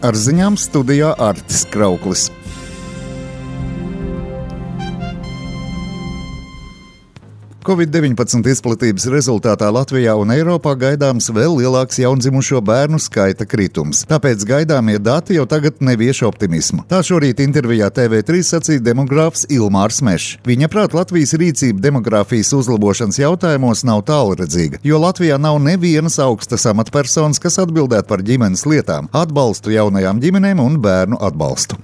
Ar ziņām studijā Artis Krauklis. Covid-19 izplatības rezultātā Latvijā un Eiropā gaidāms vēl lielāks jaundzimušo bērnu skaita kritums. Tāpēc gaidāmie dati jau tagad nevieš optimismu. Tā šorīt intervijā TV3 sacīja demogrāfs Ilmārs Mešs. Viņa prāt Latvijas rīcība demogrāfijas uzlabošanas jautājumos nav tālredzīga, jo Latvijā nav nevienas augstas amatpersonas, kas atbildētu par ģimenes lietām, atbalstu jaunajām ģimenēm un bērnu atbalstu.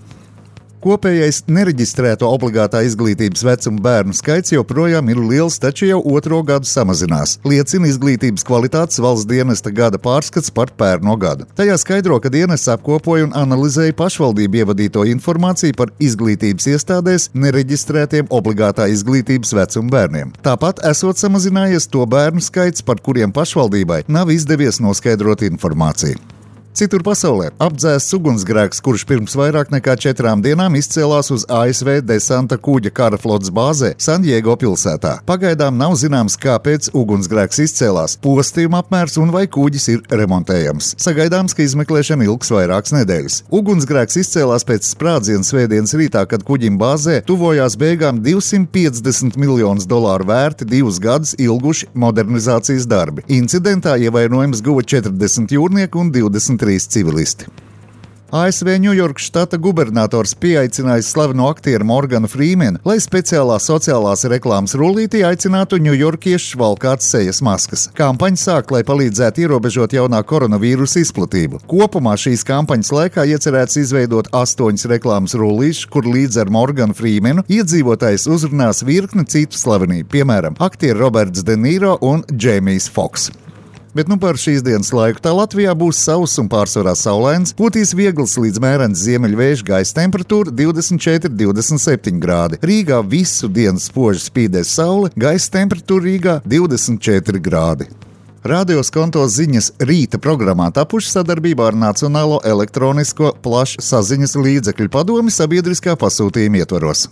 Kopējais nereģistrēto obligātā izglītības vecuma bērnu skaits joprojām ir liels, taču jau otro gadu samazinās. Liecina izglītības kvalitātes valsts dienesta gada pārskats par pērno gadu. Tajā skaidro, ka dienests apkopoja un analizēja pašvaldību ievadīto informāciju par izglītības iestādēs nereģistrētiem obligātā izglītības vecuma bērniem. Tāpat esot samazinājies to bērnu skaits, par kuriem pašvaldībai nav izdevies noskaidrot informāciju. Citur pasaulē apdzēsts ugunsgrēks, kurš pirms vairāk nekā 4 dienām izcēlās uz ASV desanta kuģa kara flotes bāzē San Diego pilsētā. Pagaidām nav zināms, kāpēc ugunsgrēks izcēlās, postījuma apmērs un vai kuģis ir remontējams. Sagaidāms, ka izmeklēšana ilgs vairākas nedēļas. Ugunsgrēks izcēlās pēc sprādziena svētdienas rītā, kad kuģim bāzē tuvojās beigām $250 miljonus vērti 2 gadus ilguši modernizācijas darbi. Incidentā ievainojums guva 40 jūrnieku un 23 civilisti. ASV Ņujorkas štata gubernators pieaicinājis slaveno aktieru Morganu Frīmenu, lai speciālā sociālās reklāmas rullītī aicinātu ņujorkiešus valkāt sejas maskas. Kampaņa sāk, lai palīdzētu ierobežot jaunā koronavīrusa izplatību. Kopumā šīs kampaņas laikā iecerēts izveidot 8 reklāmas rullīšus, kur līdz ar Morganu Frīmenu iedzīvotājs uzrunās virkni citu slavenību, piemēram, aktieri Roberts De Niro un Džeimijs Foks. Bet par šīs dienas laiku tā Latvijā būs sauss un pārsvarā saulains, pūtīs viegls līdz mērens ziemeļvējš, gaisa temperatūra 24–27 grādi. Rīgā visu dienu spoži spīdēs saule, gaisa temperatūra Rīgā 24 grādi. Radio Skonto ziņas rīta programmā tapuši sadarbībā ar Nacionālo elektronisko plašsaziņas līdzekļu padomi sabiedriskā pasūtījuma ietvaros.